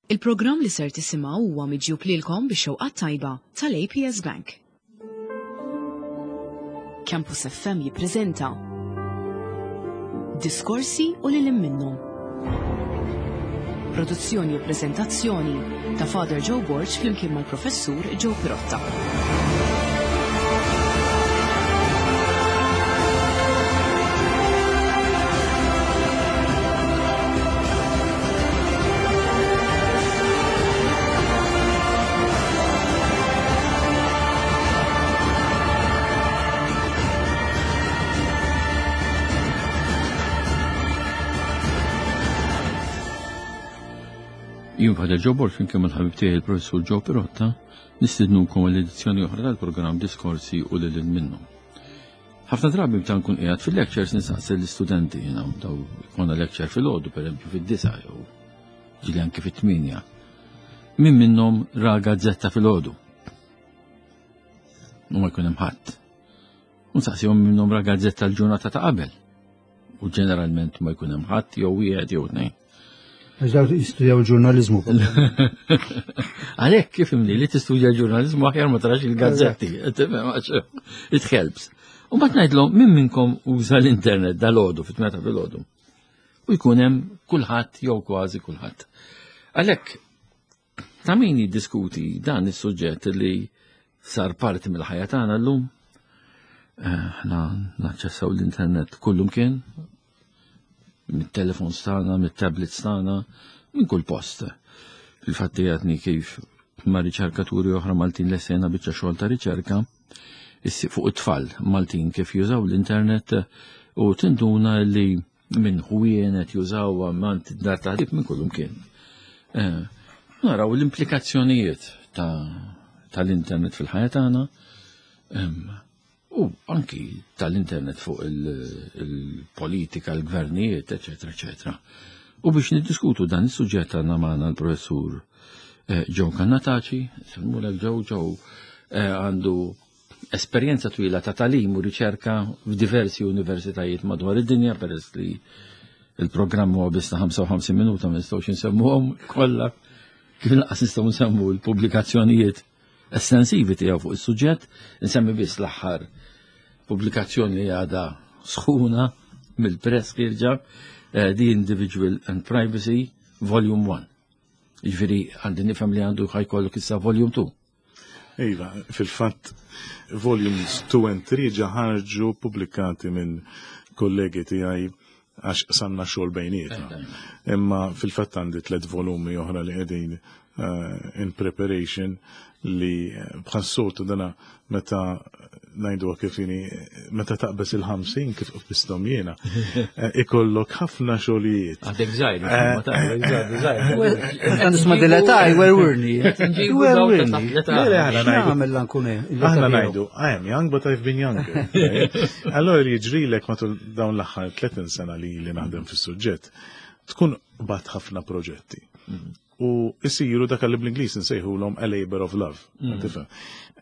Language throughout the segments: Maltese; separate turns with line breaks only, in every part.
Il-programm li ser tisimgħu huwa miġjub lilkom bix-xewqat tajba tal-APS Bank. Campus FM jippreżenta Diskorsi u lil minnhom. Produzzjoni u preżentazzjoni ta' Father Joe Borg flimkien mal-Professur Joe Pirotta.
Jien Father Joe Borg flimkien mal-ħabib tiegħi il-Professur Joe Pirotta nistidnukom għall edizzjoni oħra tal-programm Diskorsi u lil minnhom. Ħafna drabi meta nkun qiegħed fil-lectures nistaqsi l-istudenti jiena daw jkollna lecture fil-għodu pereżempju fid-disa jew ġieli anke fit-tmienja. Min minnhom ra gazzetta fil-għodu? U ma jkun hemm ħadd. U nsaqsihom minnhom ra gazzetta l-ġurnata ta' qabel. U ġeneralment ma jkun hemm ħadd jew wieħed jew tnejn.
Għax dawk jistudjaw il-ġurnalizmu.
Għalhekk kif imni li tistudja l-ġurnalizmu aħjar ma tarax il-gazzetti, it helps. U mbagħad ngħidlhom min minnkom uża l-internet dal-għodu fit-meta fil-għodu. U jkun hemm kulħadd jew kważi kulħadd. Għalhekk ta' min jiddiskuti dan is-suġġett li sar parti mill-ħajja tagħna llum. Eh, aħna naċċessaw l-internet kullum kien, mit-telefons tagħna, mit-tablets tagħna, minn kull post. Fil-fatt għadni kif ma' riċerkaturi oħra Maltin l-sena biċċa xogħol ta' riċerka fuq it-tfal Maltin kif jużaw l-internet u tinduna li minn ħwienet jużaw mant dar taħdib minn kullum kien. Eh, naraw l-implikazzjonijiet tal-internet fil-ħajja tagħna U anki tal-internet fuq il-politika, il-gvernijiet, eccetera, eccetera. U biex niddiskutu dan is-suġġett għandna magħna l-professur eh, Joe Cannataci, semmulek Joe, Joe eh, għandu esperjenza twila ta' talim u riċerka f'diversi universitajiet madwar id-dinja peress li il-programm huwa biss ta' 55 minuta ma nistgħux insemmuhom kollha kif naqas nistgħu nsemmu l-pubblikazzjonijiet estensivi tiegħu fuq is-suġġett, insemmi biss l-aħħar pubblikazzjoni li għadha sħuna mill-press ħierġa eh, The Individual and Privacy Volume 1. Jiġifieri għandi nifhem li għandu ħajkollok issa Volume 2.
Iva, fil-fatt Volumes 2 and 3 ġa ħarġu pubblikati minn kollegi tiegħi għax qsamna xogħol bejnietna. Imma fil-fatt għandi tlet volumi oħra li qegħdin eh, in preparation li eh, bħas-soltu dana meta ngħidu kif inhi meta taqbeż il-50 kif qbisthom jiena eh, ikollok ħafna xogħlijiet.
Għadek żgħir, ma taqbeż żgħir.
Meta nisma' dileta jwerwirni. Jwerwirni. Nagħmel
nkun Aħna ngħidu, I am young but I've been younger. Allora jiġrilek matul dawn l-aħħar 30 sena li li naħdem fis-suġġett, tkun bat ħafna proġetti. Mm. U isiru dak li bl-Ingliż nsejħulhom a labor of love. Mm. Tifhem.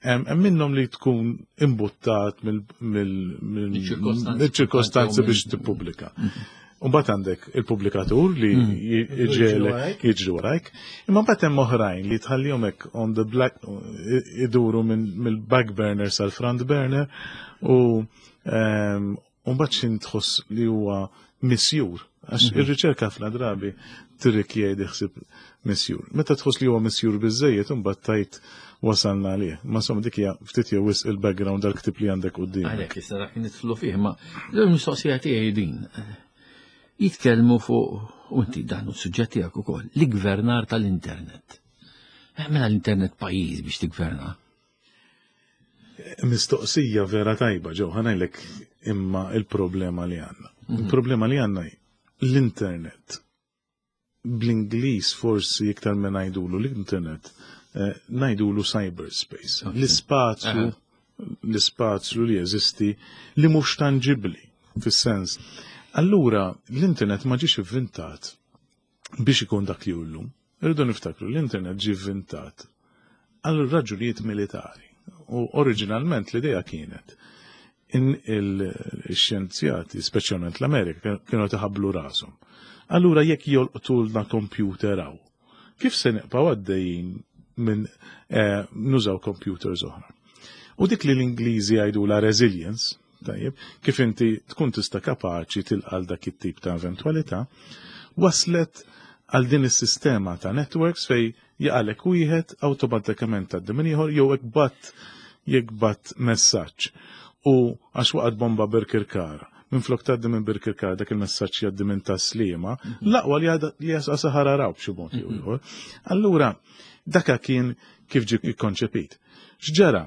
Hemm minnhom li tkun imbuttat mill-ċirkostanzi biex tippubblika. Mm. Mbagħad għandek il-pubblikatur li jiġri jiġri warajk, imma mbagħad hemm oħrajn li tħallihom hekk on the black iduru mill-back burner sal-front burner u ehm, U mbagħad x'in tħoss li huwa misjur, għax mhm. ir-riċerka ħafna drabi tirrikjedi ħsieb misjur. Meta tħoss li huwa misjur biżejjed imbagħad tajt wasalna għalih. Ma somma dik hija ftit jew wisq il-background dal-ktib li għandek quddiem.
Għalhekk issa dak nidħlu fih, ma l-mistoqsija tiegħi din. Jitkellmu fuq u inti dan hu suġġett tiegħek ukoll, l-gvernar tal-internet. Eh, mela l-internet pajjiż biex tigverna.
Mistoqsija vera tajba ġew ħanajlek imma il-problema li għandna. Mhm. Il-problema li għandna l-internet bl-Ingliż forsi iktar minn ngħidulu l-internet, eh, ngħidulu cyberspace. L-ispazju l-ispazju li jeżisti li mhux tanġibbli fis-sens. Allura l-internet ma ġiex ivvintat biex ikun dak li hu llum. Irridu niftakru l-internet ġie vvintat għal raġunijiet militari u oriġinalment l-idea kienet in il-xjenzjati, speċjalment l-Amerika, kienu taħablu rashom. Allura jekk jolqtulna kompjuter hawn, Kif se nibqgħu għaddejjin minn nużaw computers oħra? U dik li l-Ingliżi jgħidula resilience, tajjeb, kif inti tkun tista' kapaċi tilqal dak it-tip ta' eventwalità, waslet għal din is-sistema ta' networks fej jaqalek wieħed awtomatikament tgħaddi minn ieħor jew jekk bat messaġġ. U għax waqgħet bomba Birkirkara, minflok tgħaddi minn Birkirkara dak il-messaġġ jgħaddi minn Taslima, l-aqwa li għadha li jasqa saħara raw b'xi mod jew ieħor. Allura daka kien kif ġie ikkonċepit. X'ġara?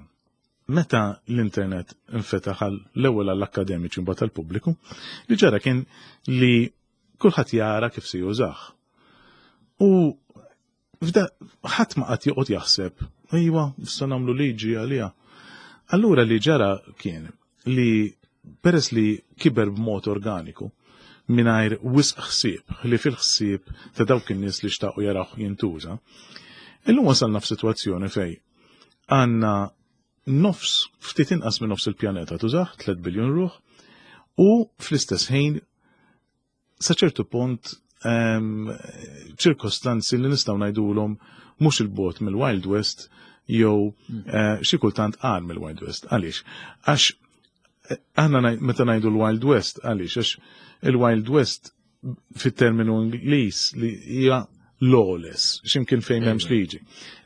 Meta l-internet infetaħ l-ewwel għall-akkademiċi mbagħad għall-pubbliku, li ġara kien li kulħadd jara kif se jużah. U f'da ħadd ma qatt joqgħod jaħseb, ejwa, issa nagħmlu liġi għaliha. Allura li ġara kien li peress li kiber b'mod organiku, mingħajr wisq ħsieb, li fil-ħsieb ta' dawk in-nies li xtaqu jarawh jintuża, illum wasalna f'sitwazzjoni fej għandna nofs, ftit inqas minn nofs il-pjaneta tużah, 3 biljun ruħ, u fl-istess ħin sa ċertu punt ċirkostanzi li nistgħu ngħidulhom mhux il-bot mill-Wild West jew xi kultant qar mill-Wild West. Għaliex? Għax aħna meta ngħidu l-Wild West, għaliex? Għax il-Wild West fit-terminu Ingliż li hija lawless, x'imkien fejn m'hemmx liġi.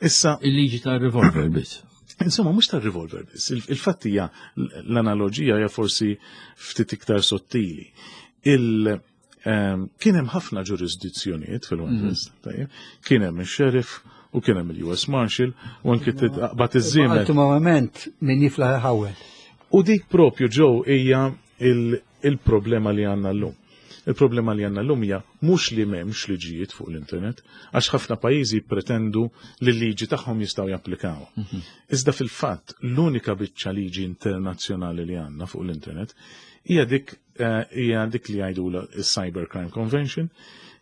Issa
il-liġi tar-revolver biss.
Insomma, mhux tar-revolver biss. Il-fatt hija l-analoġija hija forsi ftit iktar sottili. Kien hemm ħafna ġurisdizzjonijiet fil-Wild West, tajjeb. Kien hemm ix-sheriff u kien hemm il-US Marshal u anke taqbad iż-żiemel.
Ultimament min jiflaħ iħawwel.
U dik propju ġew hija il-problema li għandna llum. Il-problema li għandna llum hija mhux li m'hemmx liġijiet fuq l-internet, għax ħafna pajjiżi pretendu li l-liġi tagħhom jistgħu japplikaw. Iżda fil-fatt l-unika biċċa liġi internazzjonali li għandna fuq l-internet hija dik li jgħidula il-Cybercrime Convention,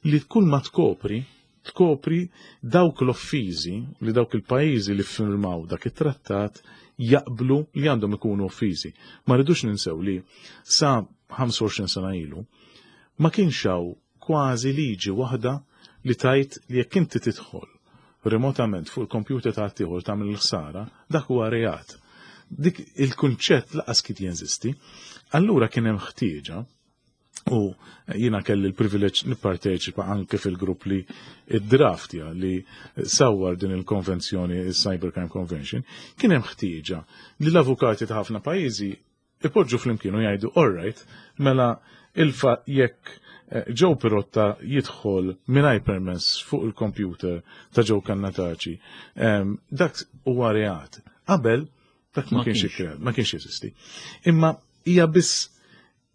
li kull ma tkopri, tkopri dawk l-offiżi li dawk il-pajjiżi li ffirmaw dak it-trattat jaqblu li għandhom ikunu offiżi. Ma rridux ninsew li sa 25 sena ilu ma kienx hawn kważi liġi waħda li tajt li jekk inti tidħol remotament fuq il-kompjuter ta' ieħor tagħmel il-ħsara, dak huwa reat. Dik il-kunċett laqas kien jeżisti. Allura kien hemm ħtieġa u jiena kelli l-privileġġ nipparteċipa anke fil-grupp li id-draftja li sawwar din il-konvenzjoni, il-Cybercrime Convention, kien hemm ħtieġa li l-avukati ta' ħafna pajjiżi ipoġġu flimkien u jgħidu, all right, mela il-fa jekk Joe Pirotta jidħol mingħajr permess fuq il-computer ta' Joe Cannataci, dak huwa reat. Qabel dak ma
Ma
kienx
kienx.
ikkreat, ma kienx jeżisti. Imma hija biss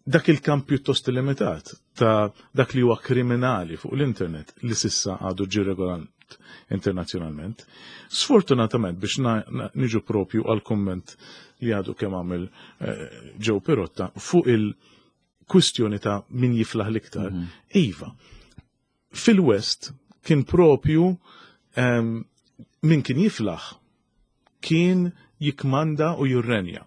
dak il-kamp pjuttost limitat ta' dak li huwa kriminali fuq l-internet li sissa għadu ġi regolat internazzjonalment. Sfortunatament biex niġu propju għal komment li għadu kemm għamel Joe Pirotta fuq il-kwistjoni ta' min jiflaħ l-iktar. Iva, fil-West kien propju min kien jiflaħ kien jikmanda u jirrenja.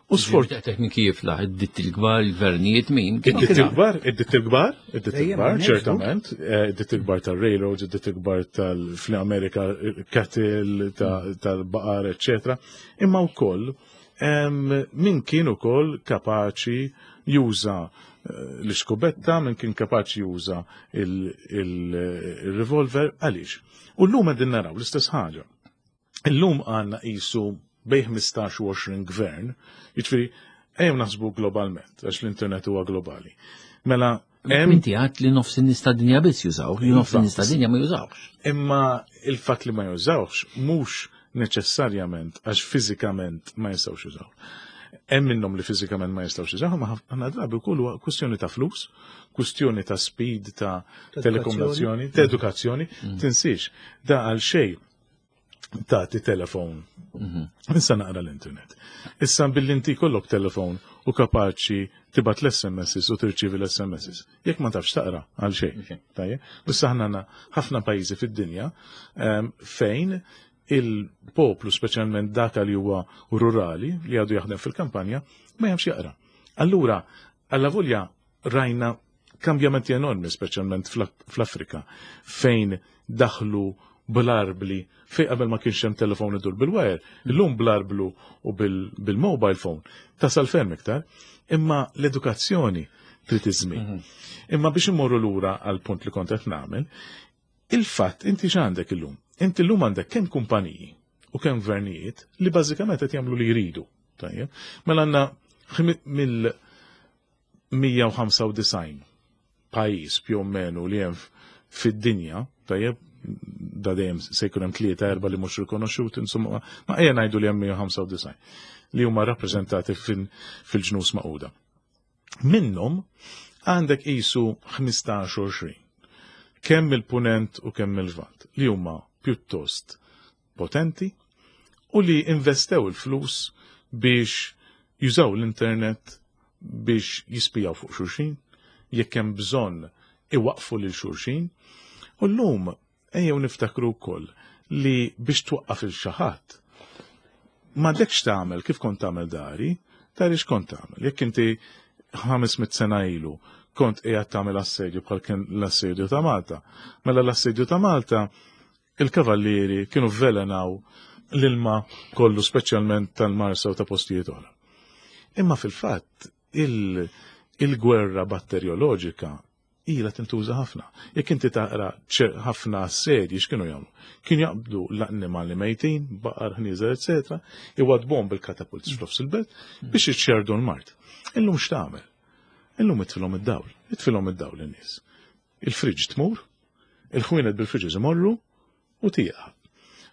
U sfort-
Ġifieri min kien jiflaħ, id-ditti l-kbar, il-gvernijiet, min? Kien
Id-ditti
jiflaħ.
l-kbar, id-ditti l-kbar, id-ditti
Dejjem
l-kbar,
għan
ċertament, id-ditti l-kbar tal-railroads, id-ditti l-kbar tal-Amerika, cattle, tal-baqar, eccetera. Imma wkoll, min kien ukoll kapaċi juża l-iskubetta, min kien kapaċi juża il-revolver, għaliex? U llum qegħdin naraw l-istess ħaġa. Illum għandna qisu bejn 15 u 20 gvern, jiġifieri ejjew naħsbu globalment, għax l-internet huwa globali. Mela, hemm
Inti għadt li nofs in-nies tad-dinja biss jużaw, li nofs in-nies tad-dinja ma jużawx.
Imma il-fatt li ma jużawx mhux neċessarjament għax fiżikament ma jistgħux jużaw. Hemm minnhom li fiżikament ma jistgħux jużaw, ma ħafna drabi wkoll huwa kwistjoni ta' flus, kwistjoni ta' speed, ta'
Ta'
telekomunikazzjoni, ta' edukazzjoni, tinsiex, da għal xejn tagħti telefon. Issa naqra l-internet. Issa billi inti kollok telefon u kapaċi tibgħat l-S M Ss u tirċievi l-S M Ss. Jekk ma tafx taqra għal xejn. Tajjeb? Issa aħna għandna ħafna pajjiżi fid-dinja fejn il-poplu, speċjalment dak li huwa rurali, li għadu jaħdem fil-kampanja, ma jafx jaqra. Allura, alla volja rajna kambjamenti enormi, speċjalment fl-Afrika, fejn daħlu bl-arbli fej qabel ma kienx hemm telefon idur bil-wire, illum bl-arblu u bil-mobile phone tasal ferm iktar, imma l-edukazzjoni trid iż-żmien. Imma biex immorru lura għal punt li kont qed nagħmel, il-fatt inti x'għandek illum? Inti llum għandek kemm kumpaniji u kemm gvernijiet li bażikament qed jagħmlu li jridu. Tajjeb. Mela għandna mill 195 pajjiż più o meno li hemm fid-dinja, tajjeb, da dejjem se jkun hemm tlieta erba' li mhux rikonoxxuti, insomma, ma ejja ngħidu li hemm 195 li huma rappreżentati fil-Ġnus Magħquda. Minnhom għandek qisu 15-20 kemm il-punent u kemm il-lvant li huma pjuttost potenti u li investew il-flus biex jużaw l-internet biex jispijaw fuq xulxin, jekk hemm bżonn iwaqfu lil xulxin. U llum ejjew niftakru wkoll li biex twaqqaf il xi ħadd m'għandekx tagħmel kif kont tagħmel dari, dari x'kont tagħmel. Jekk inti 500 sena ilu kont qiegħed tagħmel assedju bħal kien l-assedju ta' Malta. Mela l-assedju ta' Malta il-kavallieri kienu vvelenaw l-ilma kollu, speċjalment tal-Marsa u ta' postijiet oħra. Imma fil-fatt il-gwerra batterjoloġika ilha tintuża ħafna. Jekk inti taqra ħafna assedji x'kienu jagħmlu? Kienu jaqbdu l-annimali mejtin, baqar, ħnieżer, eċetera, iwadbuhom bil-katapulti f'nofs il-belt biex iċċerdu l-mard. Illum x'tagħmel? Illum itfilhom id-dawl, itfilhom id-dawl in-nies. Il-friġ tmur, il-ħwienet bil-fridges imorru u tieqa.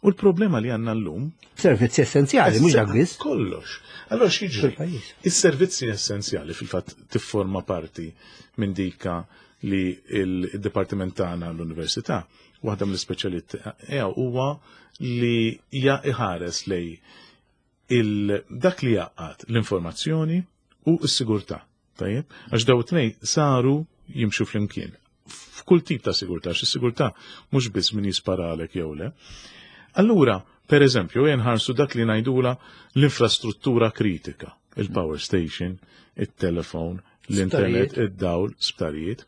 U l-problema li għandna llum
Servizzi essenzjali, mhux dak biss.
Kollox. Allora x'jiġri?
Fil-pajjiż.
Is-servizzi essenzjali fil-fatt tifforma parti minn dika li il-Dipartiment tagħna l-Università, waħda mill-ispeċjalità huwa li ja iħares lej dak li jaqgħad l-informazzjoni u s-sigurtà. Tajjeb? Għax daw it-tnejn saru jimxu flimkien. F'kull tip ta' sigurtà, għax is-sigurtà mhux biss min jisparalek jew le. Allura, per eżempju, jenħarsu dak li ngħidula l-infrastruttura kritika, il-power station, il-telefon, l-internet, id-dawl, sptarijiet.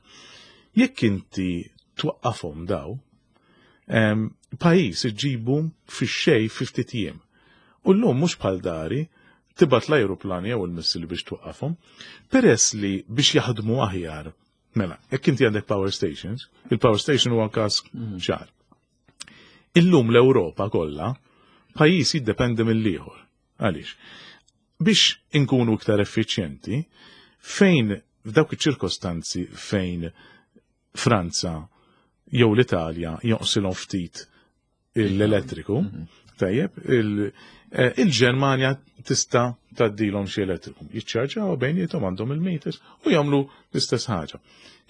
Jekk inti twaqqafhom daw, pajjiż iġibu fix-xejn fi ftit jiem. U llum mhux bħal dari tibgħat l-ajruplani jew il-missili biex twaqqafhom, peress li biex jaħdmu aħjar. Mela, jekk inti għandek power stations, il-power station huwa każ ċar. Illum l-Ewropa kollha pajjiż jiddependi mill-ieħor. Għaliex? Biex inkunu iktar effiċjenti, fejn f'dawk iċ-ċirkostanzi fejn Franza jew l-Italja jonqsilhom ftit l-elettriku, tajjeb, il-Ġermanja tista' tgħaddilhom xi elettriku. Jiċċarġaw bejniethom, għandhom il-meters u jagħmlu l-istess ħaġa.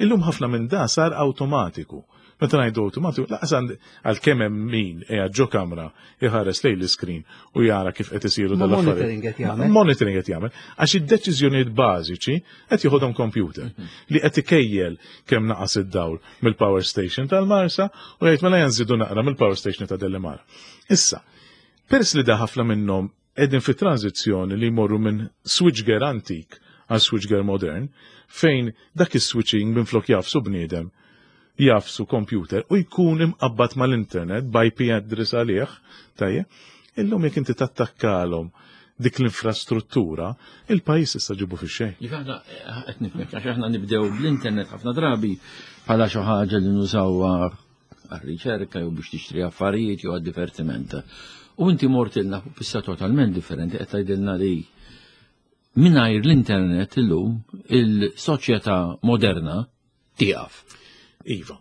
Illum ħafna minn da sar awtomatiku. Meta ngħidu awtomatiku, laqas għalkemm hemm min qiegħed ġo kamra iħares lejn l-iskrin u jara kif qed isiru
Ma
dal-affarijiet.
Monitoring qed jagħmel.
Monitoring qed jagħmel. Għax id-deċiżjonijiet bażiċi qed jieħodhom computer li qed ikejjel kemm naqas id-dawl mill-power station tal-Marsa u jgħid mela janżidu naqra mill-power station ta' Delimara. Issa, peress li da ħafna minnhom qegħdin fi tranzizzjoni li jmorru minn switchgear antik għal switchgear modern, fejn dak is-switching minn flok jagħfsu bniedem jagħfsu computer u jkun imqabbad mal-internet b'IP address għalih, tajjeb, illum jekk inti tattakkalhom dik l-infrastruttura, il-pajjiż issa ġibu fi xejn.
Jek aħna qed nifhmek, għax aħna nibdew bl-internet ħafna drabi bħala xi ħaġa li nużawha għar-riċerka jew biex tixtri affarijiet jew għad-divertiment. U inti mortilna pista totalment differenti, qed tgħidilna li mingħajr l-internet illum il-soċjetà moderna tieqaf.
Iva,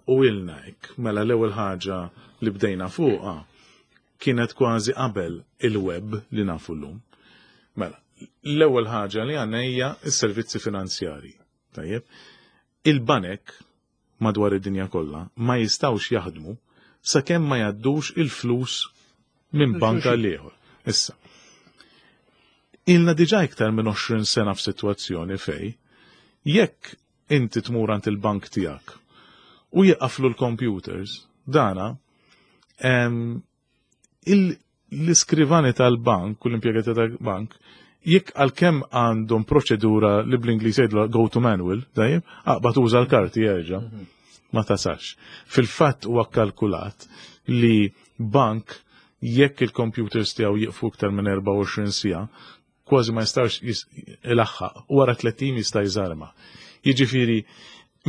u ilna hekk, mela l-ewwel ħaġa li bdejna fuqha kienet kważi qabel il-web li nafu llum. Mela, l-ewwel ħaġa li għandna hija s-servizzi finanzjari. Tajjeb, il-banek madwar id-dinja kollha ma jistgħux jaħdmu sakemm ma jgħaddux il-flus minn banka l ieħor. Issa, ilna diġà iktar minn 20 sena f'sitwazzjoni fej jekk inti tmur għand il-bank tiegħek u jieqaflu l-computers, dana l-iskrivani tal-bank u l-impjegati tal-bank jekk għalkemm għandhom proċedura li bl-Ingliż jgħidlu go to manual, dajjeb, aqbad uża l-karti jerġa'. Ma tasalx. Fil-fatt huwa kkalkulat li bank jekk il-computers tiegħu jieqfu iktar minn 24 siegħa, kważi ma jistax ilaħħaq, wara 30 jista' jżarma. Jiġifieri,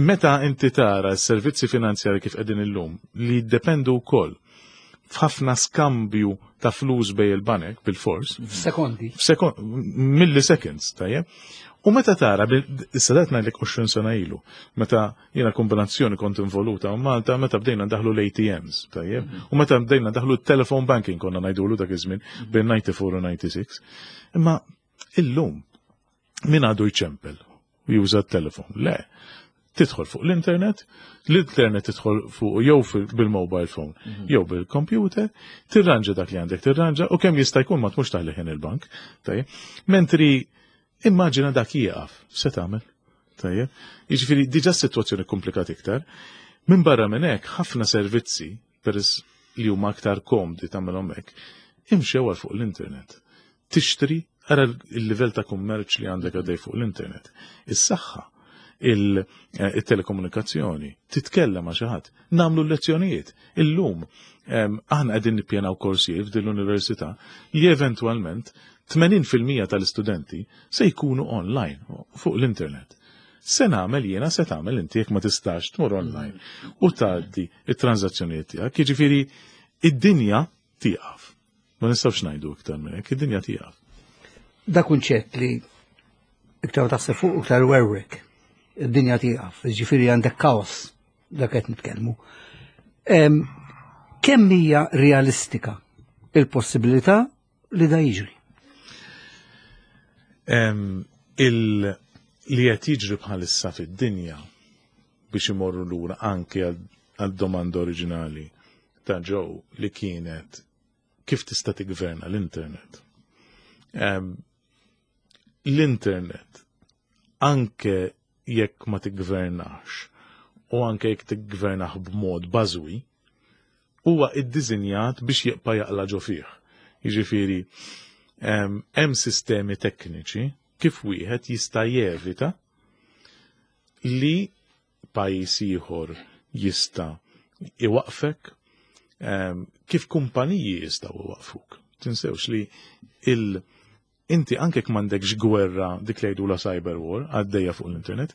meta inti tara s-servizzi finanzjari kif qegħdin illum li jiddependu wkoll f'ħafna skambju ta' flus bej il-banek bil-fors.
F'sekondi.
Milliseconds, tajjeb. U meta tara, issa dat ngħidlek 20 sena ilu, meta jiena kombinazzjoni kont involuta u Malta, meta bdejna ndaħlu l-ATMs, tajjeb. U meta bdejna ndaħlu t-telephone banking konna ngħidulu dak iż-żmien bejn 94 u 96. Imma illum min għadu jċempel u juża t-telefon? Le. Tidħol fuq l-internet, l-internet tidħol fuq jew bil-mobile phone, jew bil-computer, tirranġa dak li għandek tirranġa u kemm jista' jkun ma tmux taħli ħin il-bank. Tajjeb. Mentri immaġina dak jieqaf, se tagħmel? Tajjeb. Jiġifieri diġà s-sitwazzjoni komplikata iktar. Minn barra minn hekk ħafna servizzi peress li huma aktar komdi tagħmelhom hekk, imxew għal fuq l-internet. Tixtri, ara il-livell ta' kummerċ li għandek għaddej fuq l-internet. Is-saħħa, il-telekomunikazzjoni, titkellem ma' xi ħadd, nagħmlu l-lezzjonijiet. Illum aħna qegħdin nippjanaw korsijiet f'din l-università li eventwalment 80% tal-istudenti se jkunu online fuq l-internet. Se nagħmel jiena, se tagħmel inti jekk ma tistax tmur online u tgħaddi it-transazzjonijiet tiegħek. Jiġifieri id-dinja tieqaf. Ma nistgħux ngħidu iktar minn hekk, id-dinja tieqaf.
Da kunċett li iktar taħseb fuq iktar werwek. Id-dinja tieqaf, jiġifieri għandek kaos dak qed nitkellmu. Kemm hija realistika il-possibilità li da jiġri?
Li qed jiġri bħalissa fid-dinja biex imorru lura anke għad-domanda oriġinali ta' Joe li kienet kif tista' tiggverna l-internet. L-internet anke jekk ma tiggvernax u anke jekk tiggvernax b'mod bażwi, huwa iddiżinjat biex jibqa' jaqla' ġo fih. Jiġifieri, hemm sistemi tekniċi kif wieħed jista' jevita li pajjiż ieħor jista' iwaqfek, kif kumpaniji jistgħu iwaqfuk. Tinsewx li inti anke jekk m'għandekx gwerra dik li jgħidulha cyber war għaddejja fuq l-internet,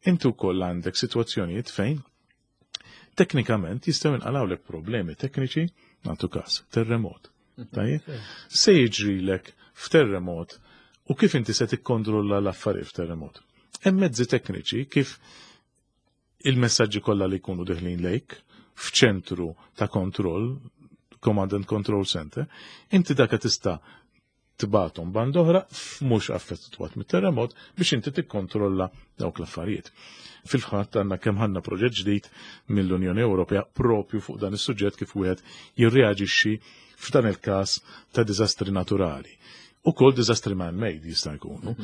inti wkoll għandek sitwazzjonijiet fejn teknikament jistgħu jinqalgħulek problemi tekniċi, nagħtu każ, terremot. Tajjeb? Se jiġrilek f'terremot u kif inti se tikkontrolla l-affarijiet f'terremot. Hemm mezzi tekniċi kif il-messaġġi kollha li jkunu deħlin lejk f'ċentru ta' kontroll, Command and Control Center, inti dak tista' tibgħathom band oħra mhux affettwat mit-terremot biex inti tikkontrolla dawk l-affarijiet. Fil-fatt għandna kemm ħanna proġett ġdid mill-Unjoni Ewropea propju fuq dan is-suġġett kif wieħed jirreaġixxi f'dan il-każ ta' diżastri naturali. Ukoll diżastri man-made jista' jkunu.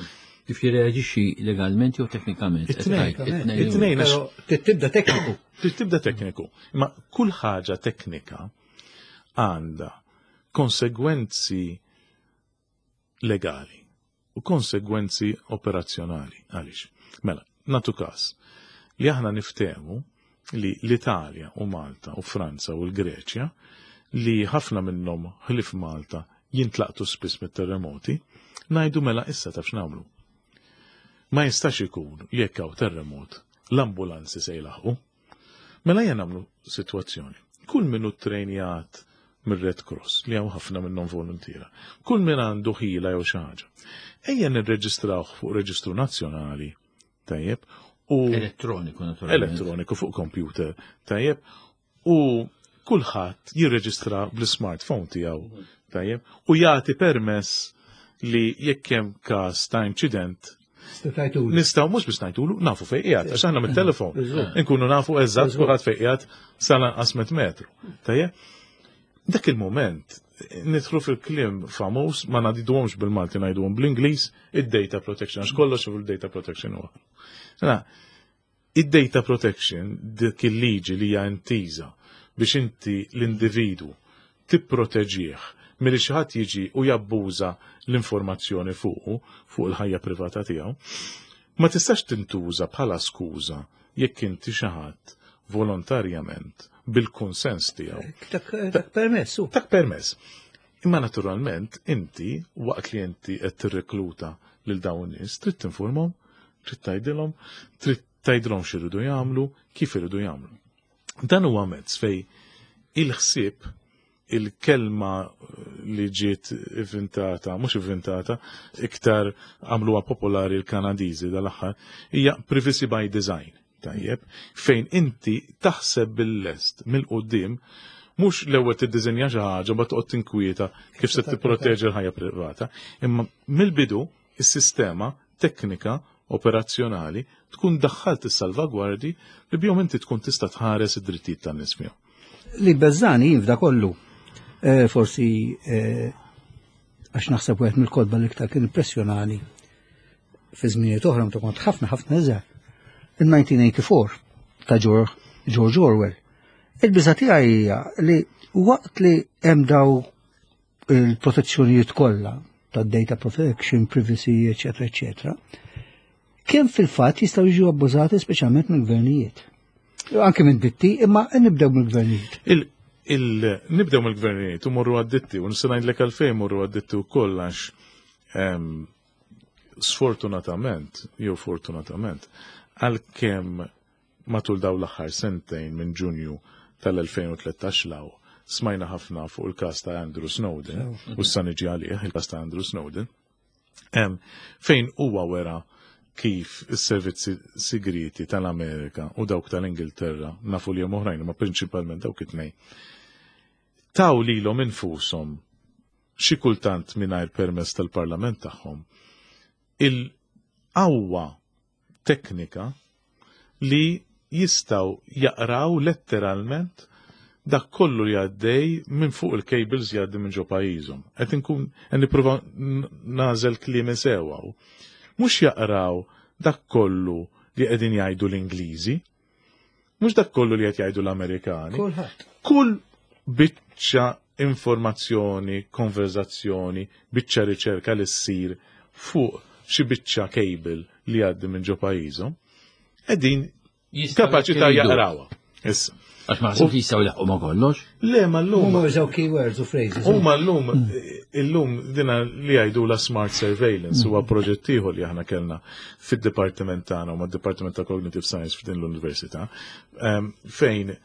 Kif jirreaġixxi legalment jew teknikament?
It-tnejn.
It-tnejn.
It-tnejn, għax
Però tibda tekniku.
Tibda tekniku. Ma kull ħaġa teknika għandha konsegwenzi legali u konsegwenzi operazzjonali. Għaliex? Mela, natu każ li aħna niftehmu li l-Italja u Malta u Franza u l-Greċja li ħafna minnhom ħlif Malta jintlaqtu spiss mit-terremoti, ngħidu mela issa taf x'nagħmlu. Ma jistax ikun li jekk hawn terremot l-ambulanzi se jlaħqu. Mela ejja nagħmlu sitwazzjoni. Kull min hu trejnjat mir-Red Cross, li hawn ħafna minnhom voluntiera, kull min għandu ħila jew xi ħaġa, ejja nirreġistrawh fuq reġistru nazzjonali, tajjeb, u
elettroniku naturalment.
Elettroniku fuq computer, tajjeb, u kulħadd jirreġistra bl-smartphone tiegħu, tajjeb, u jagħti permess li jekk hemm każ ta' inċident nistgħu mhux biex ngħidulu nafu fejn qiegħed, għax aħna mit-telefon inkunu nafu eżatt kulħadd fejn qiegħed sal-anqas metru. Tajjeb? Dak il-moment nidħlu fil-kliem famuż, ma ngħiduhomx bil-Malti, ngħiduhom bl-Ingliż, id-data protection, għax kollox fil-data protection huwa. Mela, id-data protection, dik il-liġi li hija intiża biex inti l-individwu tipproteġih milli xi ħadd jiġi u jabbuża l-informazzjoni fuqu, fuq il-ħajja privata tiegħu, ma tistax tintuża bħala skuża jekk inti xi ħadd volontarjament bil-kunsens tiegħu.
Tak permess.
Tak permess. Imma naturalment inti waqt li inti qed tirrekluta lil dawn nies trid tinformhom, trid tgħidilhom, trid tgħidilhom x'iridu jagħmlu, kif iridu jagħmlu. Dan huwa mezz fej il-ħsieb il-kelma li ġiet ivvintata, mhux ivvintata, iktar għamluha popolari l-Kanadiżi dal-aħħar, hija privacy by design. Tajjeb, fejn inti taħseb bil-lest mill-qudiem mhux l-ewwel tiddiżinja xi ħaġa ma toqgħod tinkwieta kif se tipproteġi l-ħajja privata, imma mill-bidu is-sistema teknika operazzjonali tkun daħħalt is-salvagwardi li bihom inti tkun tista' tħares id-drittijiet tan-nies fihom.
Li beżani jien f'da kollu, eh, forsi eh, għax naħseb wieħed mill-kotba li iktar kien impressjonani fi żminijiet oħra meta kont ħafna ħafna iżgħar. Il-1984 ta' George Orwell. Il-biża tiegħi hija li waqt li hemm daw il-protezzjonijiet kollha ta' data protection, privacy, eccetera, eccetera, kemm fil-fatt jistgħu jiġu abbużati speċjalment mill-gvernijiet. Anke minn ditti, imma nibdew mill-gvernijiet.
Nibdew mill-gvernijiet u morru għad-ditti, u nista' ngħidlek għalfejn morru għad-ditti wkoll għax sfortunatament, jew fortunatament, għalkemm matul dawn l-aħħar sentejn minn Ġunju tal-2013 law smajna ħafna fuq il-każ ta' Andrew Snowden, u issa niġi għalih il-każ ta' Andrew Snowden, fejn huwa wera kif is-servizzi sigriti tal-Amerika u dawk tal-Ingilterra, nafu li hemm oħrajn, ma prinċipalment dawk it-tnejn, taw lilhom infushom xi kultant mingħajr permess tal-parlament tagħhom il-qawwa teknika li jistgħu jaqraw letteralment dak kollu li għaddej minn fuq il-cables jgħaddi minn ġo pajjiżhom. Qed inkun qed nipprova nagħżel kliem sewwa. Mhux jaqraw dak kollu li qegħdin jgħidu l-Ingliżi, mhux dak kollu li qed jgħidu l-Amerikani.
Kulħadd.
Kull biċċa informazzjoni, konverzazzjoni, biċċa riċerka li ssir fuq xi biċċa cable li għaddi minn ġo pajjiżhom, qegħdin kapaċi ta' jaqrawha. Issa.
Għax ma ħsibx jistgħu jlaħqu ma' kollox.
Le, ma llum.
Huma jużaw keywords u phrases.
Huma llum, illum dina li jgħidu la smart surveillance huwa proġett ieħor li aħna kellna fid-dipartiment tagħna u mad-Dipartiment ta' Cognitive Science f'din l-Università, fejn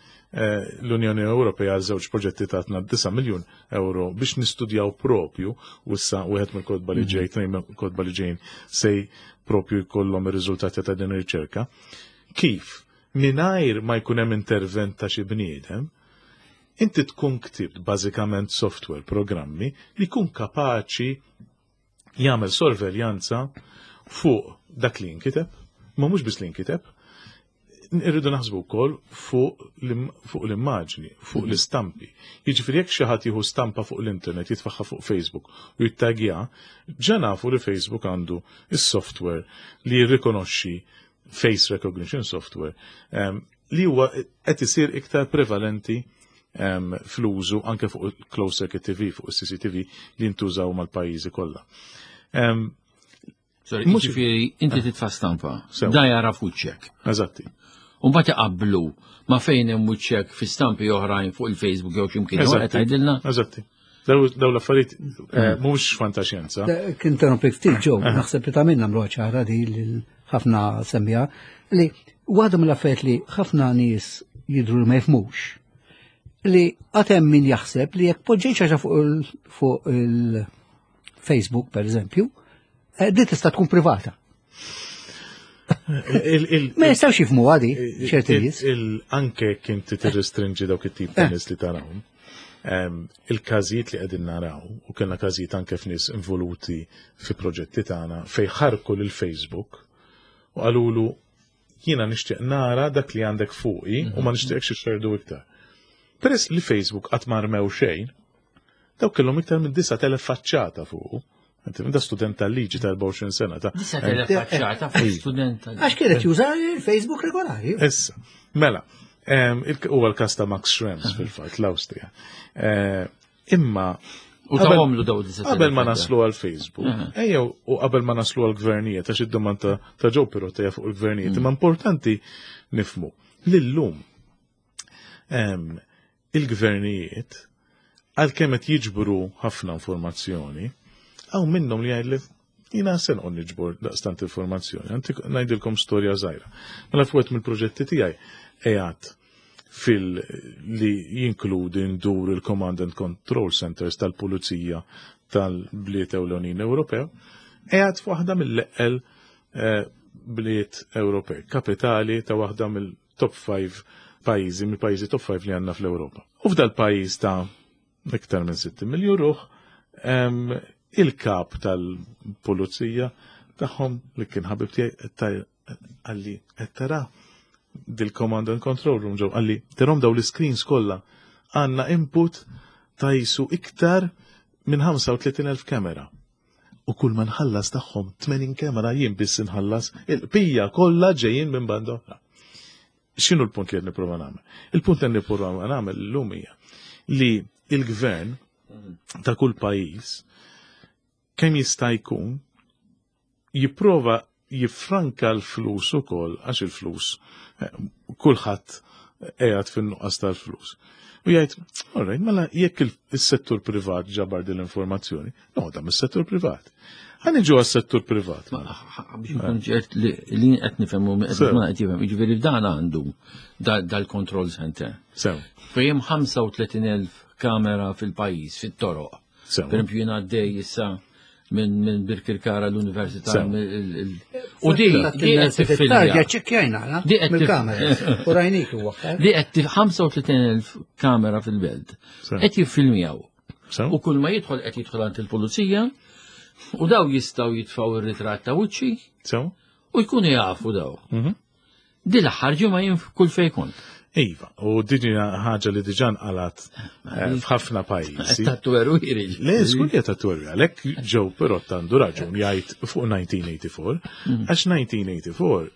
l-Unjoni Ewropea għal żewġ proġetti tatna 9 miljun euro biex nistudjaw propju u issa wieħed mill-kotba li ġej, tnejn mill-kotba li ġejn se propju jkollhom ir-riżultati ta' din ir-riċerka. Kif mingħajr ma jkun hemm intervent ta' xi bniedem, inti tkun ktibt bażikament software, programmi li jkun kapaċi jagħmel sorveljanza fuq dak li jinkiteb, ma mhux biss li jinkiteb, irridu naħsbu wkoll fuq l-immaġni, fuq l-istampi. Jiġifieri jekk xi ħadd jieħu stampa fuq l-internet, jitfaħħa fuq Facebook u jittagja, ġa nafu li Facebook għandu is-software li jirrikonoxxi face recognition software li huwa qed isir iktar prevalenti fl-użu anke fuq closed circuit TV, fuq il-CCTV li jintużaw mal-pajjiżi kollha.
Sorry, jiġifieri inti titfa' stampa, da jara fuċċek.
Eżatti.
U mbagħad iqabblu ma fejn hemm wiċċek fi stampi oħrajn fuq il-Facebook jew x'imkien qed tgħidilna.
Eżatti. Daw l-affarijiet mhux fantaxjenza.
Kien interrompi ftit ġew, naħseb li ta' minna nagħmlu ċara di li ħafna semmija li waħda mill-affarijiet li ħafna nies jidhru li ma jifhmux li għad hemm min jaħseb li jekk poġġejt xi ħaġa fuq il-Facebook per eżempju, di tista' tkun privata. Ma jistgħux jifhmu għadi ċerti nies.
Anke kien tirrestrinġi dawk it-tip ta' nies li tarawhom. Il-każijiet li qegħdin naraw u kellna każijiet anke f'nies involuti fi proġetti tagħna fejn ħarku lil Facebook u qalulu jiena nixtieq nara dak li għandek fuqi u ma nixtieqx ixxerdu iktar. Peress li Facebook qatt ma rmew xejn, dawk kellhom iktar minn 9,000 faċċata fuqu. Da student tal-liġi ta' 24 sena. Ta'
9,000 faċċata fuq student tal-liġi.
Għax kienet juża il-Facebook regolari.
Issa, mela, huwa l-każ ta' Max Schrems fil-fatt l-Awstrija. Imma
U tawhomlu daw 9,000.
Qabel ma naslu għal Facebook, ejjew u qabel ma naslu għal gvernijiet, għax id-domanda ta' Joe Pirotta hija fuq il-gvernijiet, imma importanti nifhmu li llum Il-gvernijiet għalkemm qed jiġbru ħafna informazzjoni, hawn minnhom li jgħidli jiena se noqgħod niġbor daqstant informazzjoni. Antik ngħidilkom storja żgħira. Mela fuq mill-proġetti tiegħi qiegħed fil li jinkludi ndur il-Command and Control Centers tal-Pulizija tal-bliet ewlenin Ewropew, qiegħed f'waħda mill-eqqel bliet Ewropej, kapitali ta' waħda mill-top 5 pajjiżi, mill-pajjiżi top 5 li għandna fl-Ewropa. U f'dal pajjiż ta' iktar minn 60 miljun ruħ, il-kap tal-pulizija tagħhom li kien ħabib tiegħi qalli qed tara dil-command and control room ġew qalli tarahom daw l-screens kollha, għandna input ta' jisu iktar minn 35,000 kamera. U kull ma nħallas tagħhom 80 kamera jien biss inħallas, il-bqija kollha ġejjin minn banda oħra. X'inhu l-punt li qed nipprova nagħmel? Il-punt li nipprova nagħmel illum hija li il-gvern ta' kull pajjiż kemm jista' jkun jipprova jiffranka l-flus ukoll, għax il-flus kulħadd qiegħed fin-nuqqas tal-flus. U jgħid, all right, mela jekk is-settur privat ġabar din l-informazzjoni, noħodha mis-settur privat. Ħa niġu għas-settur privat.
Ma, biex nkun ċert li qed nifhem u qed ma qed jifhem, jiġifieri dan għandu dal-control center.
Sew.
Fejn 35,000 kamera fil-pajjiż, fit-toroq.
Sew.
Per esempio jien għaddej issa minn Birkirkara l-Università. U di qed tiffilmja.
ċekkjajna, la?
Di qed
Mill-kamera. U rajnik u waħħal.
Di qed 35,000 kamera fil-belt. Qed jiffilmjaw.
Sew.
U kull ma jidħol qed jidħol għand il-pulizija u daw jistgħu jitfgħu ir-ritratt ta' wiċċi
Sew.
u jkunu jafu daw. Di l-aħħar ġimgħa jien kull fejn kont.
Iva, u din hija ħaġa li diġà nqalat f'ħafna pajjiżi.
Tatweru jiri.
Le, żgur li tatweru, għalhekk Joe Pirotta għandu raġun jgħid fuq 1984, għax 1984,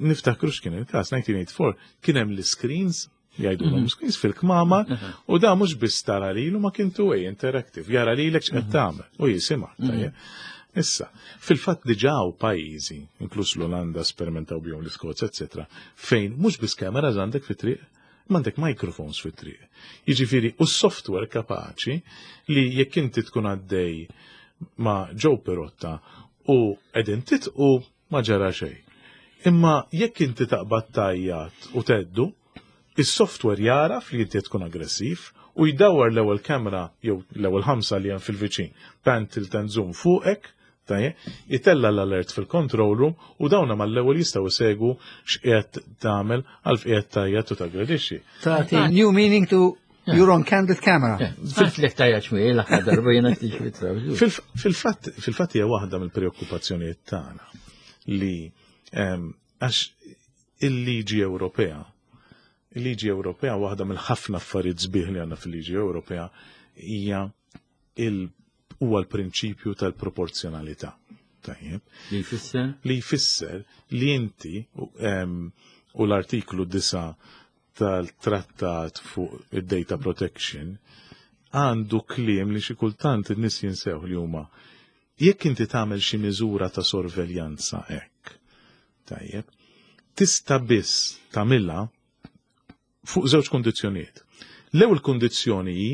niftakru x'kien il-każ, 1984 kien hemm l-screens, jgħidulhom screens fil-kmama, u da mhux biss tara lilu ma kien two-way interactive, jara lilek x'qed tagħmel u jisimgħek, tajjeb. Issa, fil-fatt diġà hawn pajjiżi, inkluż l-Olanda sperimentaw bihom l-Iskozja, eccetera, fejn mhux biss cameras għandek fit-triq, ma għandek microphones fit-triq. Jiġifieri, u s-software kapaċi li jekk inti tkun għaddej ma' Joe Pirotta u qegħdin titqu ma ġara xejn. Imma jekk inti taqbad tajjat u teddu, is-software jaraf li inti tkun aggressiv u jdawwar l-ewwel kamera jew l-ewwel 5 li hemm fil-viċin, pan tilt and zoom fuqek, tajjeb, itella l-alert fil-control room u dawna mal-ewwel jistgħu jsegwu x'qiegħed tagħmel għal f'qiegħed tajjat u taggredixxi.
Tagħti new meaning to your own candid camera.
Fil-flek tajjat xmi, l-aħħar darba jiena tiġi
Fil-fatt hija waħda mill-preokkupazzjonijiet tagħna li għax il-liġi Ewropea, il-liġi Ewropea waħda mill-ħafna affarijiet sbieħ li għandna fil-liġi Ewropea hija huwa l-prinċipju tal-proporzjonalità. Tajjeb.
Li jfisser?
Li jfisser li inti u l-artiklu 9 tal-trattat fuq id-data protection għandu kliem li xi kultant in-nies jinsew li huma jekk inti tagħmel xi miżura ta' sorveljanza hekk. Tajjeb. Tista' biss tagħmilha fuq żewġ kundizzjonijiet. L-ewwel kundizzjoni hi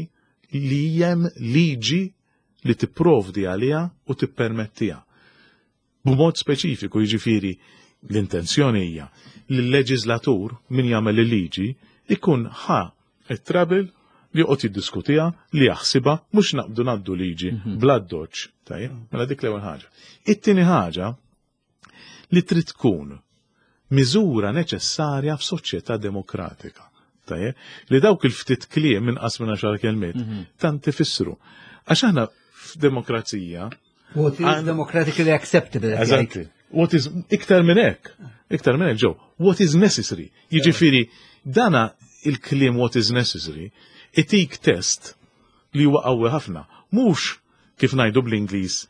li hemm liġi li tipprovdi għaliha u tippermettiha. B'mod speċifiku, jiġifieri l-intenzjoni hija li l-leġislatur min jagħmel il-liġi ikun ħa it-trouble li joqgħod jiddiskutiha, li jaħsibha, mhux naqbdu ngħaddu liġi bla doċ. Tajjeb, mela dik l-ewwel ħaġa. It-tieni ħaġa li trid tkun miżura neċessarja f'soċjetà demokratika. Tajjeb, li dawk il-ftit kliem inqas minn 10 kelmiet tant ifissru. Għax aħna f'demokrazija
What is democratically acceptable?
Eżatti. What is iktar minn hekk? Iktar minn hekk ġew. What is necessary? Jiġifieri dana il-kliem what is necessary itik test li huwa qawwi ħafna. Mhux kif ngħidu bl-Ingliż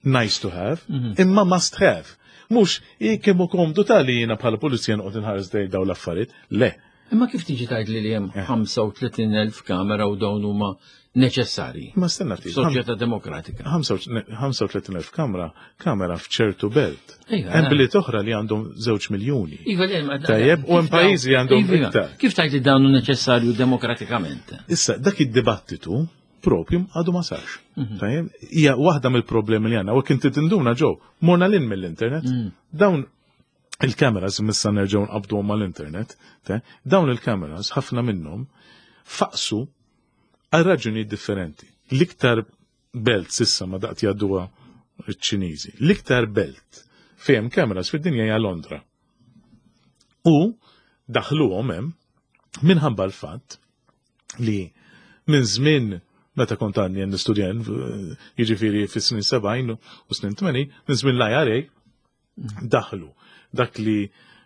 nice to have, imma must have. Mhux kemm hu komdu tali jiena bħala pulizija noqgħod inħares dej daw l-affarijiet. Le.
Imma kif tiġi tgħid li hemm 35,000 kamera u dawn huma neċessarji?
Ma stenna ftit.
Soċjetà demokratika.
35,000 kamera, kamera f'ċertu belt. Hemm bliet oħra li għandhom 2 miljuni.
Iva, le, ma-
Tajjeb, u hemm pajjiżi li għandhom
Iva,
iktar.
Kif tgħid li dawn hu neċessarju demokratikament?
Issa, dak id-dibattitu propju għadu ma sarx. Tajjeb, hija waħda mill-problemi li għandna, u kien tinduna ġew, morna lin mill-internet, dawn il-kameras, missa nerġgħu nqabdu mal-internet, dawn il-kameras, ħafna minnhom, faqsu għal raġunijiet differenti. L-iktar belt sissa ma daqt jgħadduha ċ-Ċiniżi. L-iktar belt fejn kameras fid-dinja hija Londra. U daħluhom hemm minħabba l-fatt li minn żmien meta kont għadni nistudja, jiġifieri fis-snin 70 u snin 80, minn żmien l-IRA daħlu dak li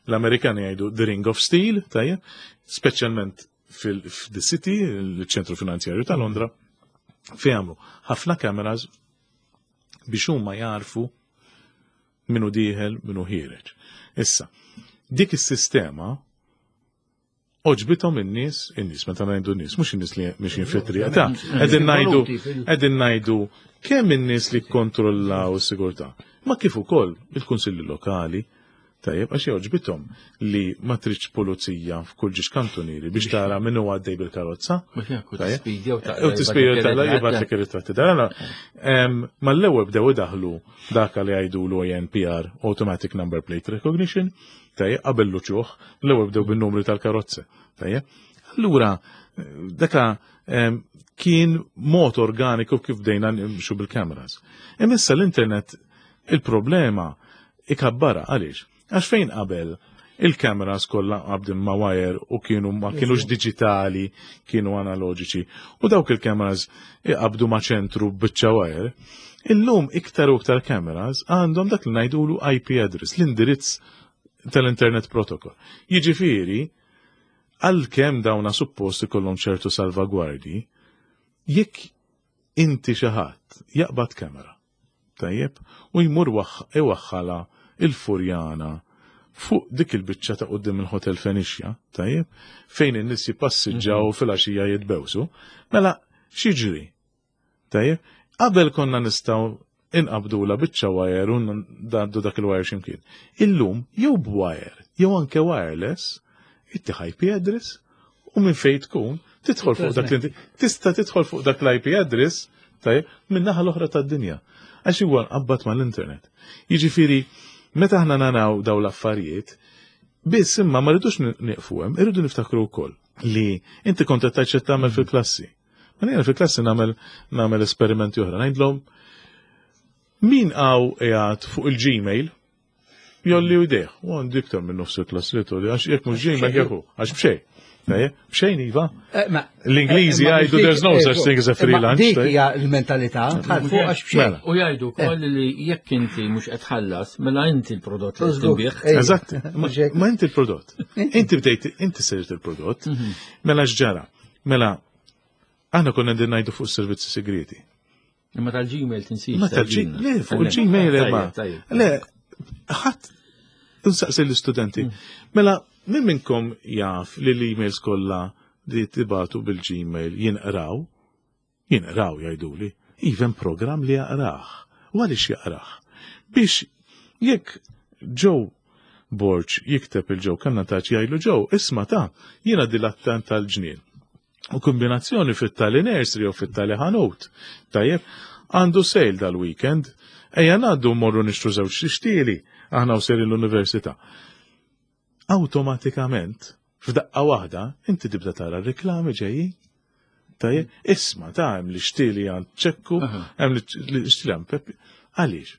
l-Amerikani jgħidu the ring of steel, tajjeb, speċjalment fil-The City, il-ċentru finanzjarju ta' Londra, fejn għamlu ħafna cameras biex huma jarfu minu dieħel, minu ħiereġ. Issa, dik is-sistema għoġbithom in-nies, in-nies, meta ngħidu n-nies, mhux in-nies li mixin fit-triq, ta' qegħdin ngħidu qegħdin ngħidu kemm in-nies li kkontrollaw is-sigurtà, ma kif ukoll il-kunsilli lokali, tajjeb, għax jogħġbithom li ma tridx pulizija f'kull ġiex kantunieri biex tara min huwa għaddej bil-karozza.
Mhux hekk, u
Tajjeb.
tispidja u taqra
U tispidja
jibgħatlek
taqra
ir-ritratti.
jibgħatlek ir-ritratti. Dara, mal-ewwel bdew idaħlu dak li jgħidu l-ANPR, Automatic Number Plate Recognition, tajjeb, qabel l-uċuħ, l-ewwel bdew bin-numri tal-karozze, tajjeb. Allura, daka kien mod organiku kif bdejna nimxu bil-kameras. Imma issa l-internet il-problema ikabbara għaliex? Għax fejn qabel il-kameras kollha qabdin ma' wire u kienu ma kienux digitali, kienu analoġiċi. U dawk il-kameras iqabdu ma' ċentru biċċa wire. Illum iktar u iktar kameras għandhom dak li ngħidulu IP address, l-indirizz tal-Internet Protocol. Jiġifieri, għalkemm dawna suppost ikollhom ċertu salvagwardji, jekk inti xi ħadd jaqbad kamera, tajjeb, u jmur iwaħħala il-Furjana fuq dik il-biċċa ta' quddiem il-Hotel Phoenicia, tajjeb, fejn in-nies jippassiġġaw filgħaxija jitbewsu, mela x'jiġri? Tajjeb, qabel konna nistgħu inqabdu la biċċa wire u ngħaddu dak il-wire x'imkien. Illum jew b'wire, jew anke wireless, ittih IP address u minn fejn tkun tidħol fuq dak l tista' tidħol fuq dak l-IP address, tajjeb, minn naħa l-oħra tad-dinja. Għax huwa nqabbad mal-internet. Jiġifieri, meta aħna naraw daw l-affarijiet, biss imma ma rridux nieqfu hemm, irridu niftakru wkoll li inti kont qed tgħid x'qed tagħmel fil-klassi. Ma jiena fil-klassi nagħmel esperimenti oħra. Ngħidlhom min hawn qiegħed fuq il-Gmail jgħolli jdejh. U għandi iktar minn nofs il-klassi li tgħolli, għax jekk mhux Gmail jekk hu, għax b'xejn. Tajjeb, b'xejn iva. L-Ingliżi jgħidu there's no such thing as a free lunch.
Dik hija l-mentalità, tħall fuq għax b'xejn.
Mela.
U jgħidu wkoll li jekk inti mhux qed tħallas, mela inti l-prodott li qed tinbih.
Eżatt, ma inti l-prodott. Inti bdejt, inti sirt il-prodott. Mela x'ġara? Mela, aħna konna qegħdin ngħidu fuq servizzi segreti.
Imma tal-Gmail tinsix.
Ma tal-Gmail, le, fuq il-Gmail imma. Le, ħadd nsaqsi l-istudenti. Mela, min minnkom jaf li l-emails kollha li tibatu bil-Gmail jinqraw? Jinqraw jgħiduli. Even program li jaqrah. U għaliex jaqrah? Biex jekk Joe Borg jikteb lil Joe Cannataci jgħidlu Joe, isma' ta' jiena dilettant tal-ġnien. U kombinazzjoni fit-tali nursery u fit-tali ħanut. Tajjeb, għandu sale dal-weekend, ejja ngħaddu morru nixtru żewġ xtieli, aħna u sejrin l-università. Automatikament, f'daqqa waħda, inti tibda tara reklami ġejjin. Tajjeb, isma' ta' hemm li xtieli għand ċekku, hemm li xtieli għand Peppi. Għaliex?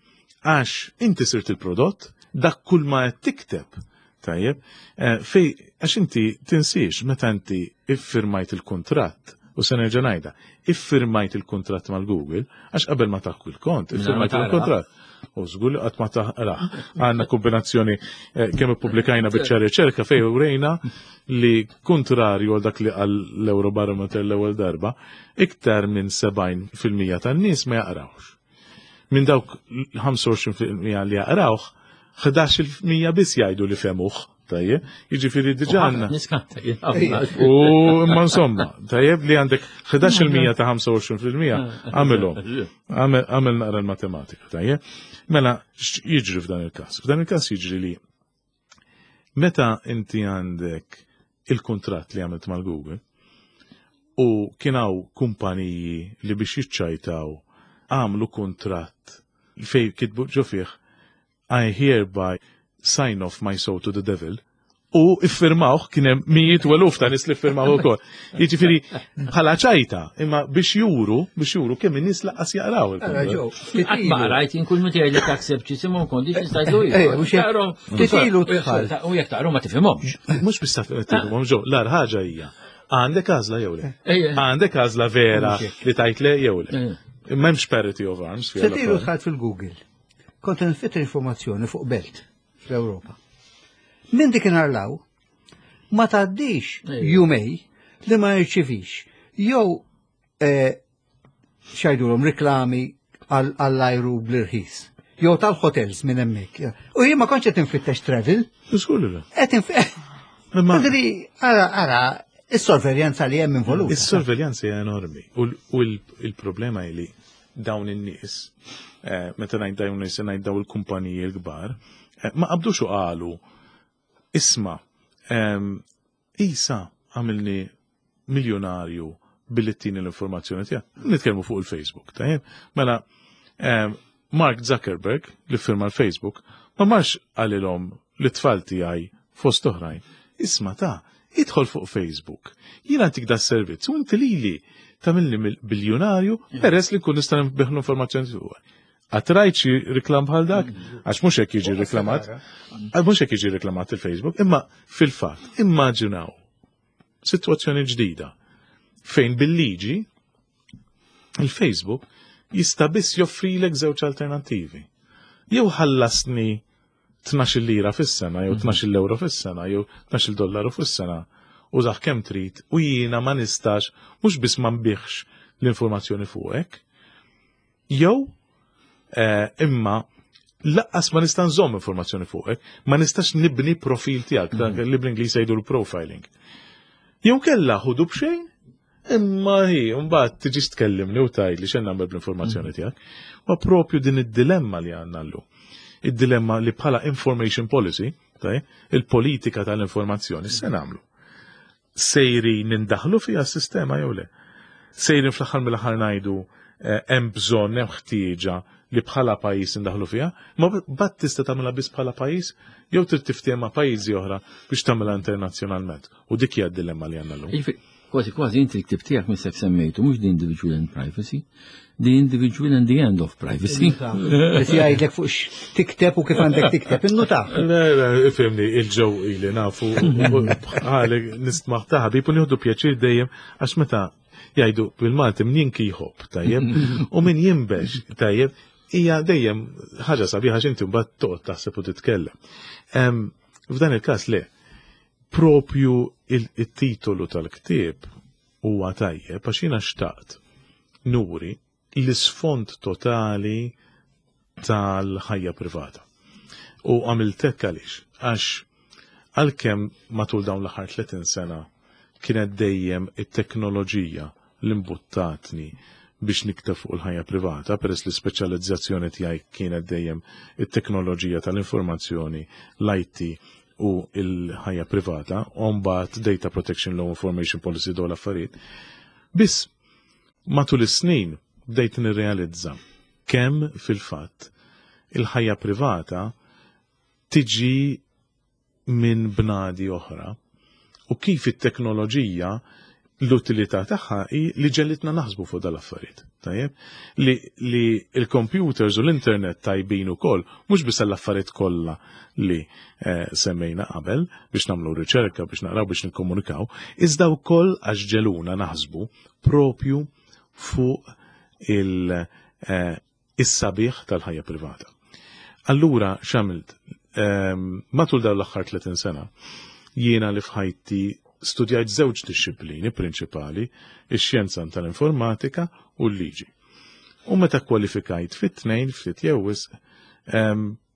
Għax inti sirt il-prodott, dak kull ma qed tikteb. Tajjeb, fej, għax inti tinsiex meta inti iffirmajt il-kuntratt, u se nerġa' ngħidha, iffirmajt il-kuntratt mal-Google, għax qabel ma taħku il-kont, iffirmajt il-kuntratt. U żgur li qatt ma taħrah. Għandna kombinazzjoni kemm ippubblikajna biċċa riċerka fejn urejna li kontrarju għal dak li qal l-Eurobarometer l-ewwel darba, iktar minn 70% tan-nies ma jaqrawx. Minn dawk 25% li jaqrawh, 11% biss jgħidu li fehmuh. Tajjeb, jiġifieri diġà għandna.
Niskanta
U imma insomma, tajjeb li għandek 11% ta' 25% għamilhom. Għamel naqra l-matematika, tajjeb. Mela, jiġri f'dan il-każ? F'dan il-każ jiġri li meta inti għandek il-kuntratt li għamilt mal-Google u kien hawn kumpaniji li biex jiċċajtaw għamlu kuntratt fej kitbu ġo fih "I hereby sign off my soul to the devil" u iffirmawh, kien hemm mijiet u eluf ta' nies li iffirmaw ukoll. Jiġifieri bħala ċajta, imma biex juru kemm in-nies lanqas jaqraw il-kuntratt.
Ma rajt kull meta jgħidlek accept ġisimhom conditions tajdu.
Titilu tħall.
U jekk taqru ma tifhimhomx.
Mhux biss tifhimhom ġo, l-agħar ħaġa hija. Għandek għażla jew le? Għandek għażla vera li tajt le jew le? M'hemmx parity of arms.
Titilu dħalt fil-Google. Kont nfittex informazzjoni fuq belt fl-Ewropa. Minn dik inarlaw, ma tgħaddix jumejn li ma jirċivix jew x'jgħidulhom reklami għall-ajru bl-irħis. Jew tal-hotels minn hemmhekk. U jien ma kontx qed infittex travel.
Żgur.
Qed Madri, ara, ara, is-sorveljanza li hemm involuta.
Is-sorveljanza hija enormi. U il-problema hi li dawn in-nies, meta ngħid dawn in-nies, ngħid dawn il-kumpaniji l-kbar, ma qabdux u qalu, "Isma', isa għamilni miljonarju billi ttini l-informazzjoni tiegħek." Nitkellmu fuq il-Facebook, tajjeb? Mela, Mark Zuckerberg, li firma l-Facebook, ma marx qalilhom li tfal tiegħi fost oħrajn, "Isma' ta', idħol fuq Facebook. Jiena ntik da servizz u inti lili tagħmilni biljonarju peress li nkun nista' nbigħ l-informazzjoni tiegħek." Qatt rajt xi reklam bħal dak? Għax mhux hekk jiġi reklamat. Għax mhux hekk jiġi reklamat il-Facebook, imma fil-fatt immaġinaw sitwazzjoni ġdida fejn bil-liġi il-Facebook jista' biss joffrilek żewġ alternattivi. Jew ħallasni 12 lira fis-sena, jew 12 euro fis-sena, jew 12 dollaru fis-sena, użah kemm trid u jiena ma nistax mhux biss ma nbigħx l-informazzjoni fuqek, jew imma lanqas ma nista' nżomm informazzjoni fuqek, ma nistax nibni profil tiegħek, dak li bl-Ingliż jgħidu l-profiling. Jew kella ħudu b'xejn, imma hi, mbagħad tiġi tkellimni u tgħidli x'hemm nagħmel bl-informazzjoni tiegħek. Ma propju din id-dilemma li għandna llum. Id-dilemma li bħala information policy, taj, il-politika tal-informazzjoni, se nagħmlu? Sejrin nindaħlu fiha s-sistema jew le? Sejrin fl-aħħar mill-aħħar ngħidu hemm bżonn, hemm ħtieġa li bħala pajjiż indaħlu fiha, ma bat tista' tagħmilha biss bħala pajjiż jew trid tiftehim ma' pajjiżi oħra biex tagħmilha internazzjonalment. U dik hija d-dilemma li għandna llum.
Jiġifieri, kważi kważi inti l-ktib tiegħek missek semmejtu mhux the individual and privacy, the individual and the end of privacy.
Li jgħidlek fuq tikteb u kif għandek tikteb, innuta.
Le, le, ifhimni, il-ġew ili nafu, għalek nistmaħ ta' ħabib u nieħdu pjaċir dejjem għax meta jgħidu bil-Malti min jinki jħobb, tajjeb, u min jinbex, tajjeb, hija dejjem ħaġa sabiħa għax inti mbagħad toqgħod taħseb u titkellem. F'dan il-każ le, propju il-titolu tal-ktieb huwa tajjeb għax jiena xtaqt nuri l-isfond totali tal-ħajja privata. U għamilt hekk għaliex? Għax għalkemm matul dawn l-aħħar 30 sena kienet dejjem it-teknoloġija li mbuttatni biex nikteb fuq il-ħajja privata, peress li speċjalizzazzjoni tiegħi kienet dejjem it-teknoloġija tal-informazzjoni, l-IT u il-ħajja privata, u mbagħad Data Protection Law, Information Policy, dawn l-affarijiet. Biss matul is-snin bdejt nirrealizza kemm fil-fatt il-ħajja privata tiġi minn bnadi oħra u kif it-teknoloġija l-utilità tagħha hi li ġegħlitna naħsbu fuq dal-affarijiet. Tajjeb? Li il-computers u l-internet tajbin ukoll, mhux biss l-affarijiet kollha li semmejna qabel biex nagħmlu riċerka, biex naqraw, biex nikkomunikaw, iżda wkoll għax ġegħluna naħsbu propju fuq is-sabiħ tal-ħajja privata. Allura x'għamilt? Matul dawn l-aħħar 30 sena, jiena li f'ħajti studjajt żewġ disċiplini prinċipali, ix-xjenza tal-informatika u l-liġi. U meta kwalifikajt fit-tnejn ftit jew wisq,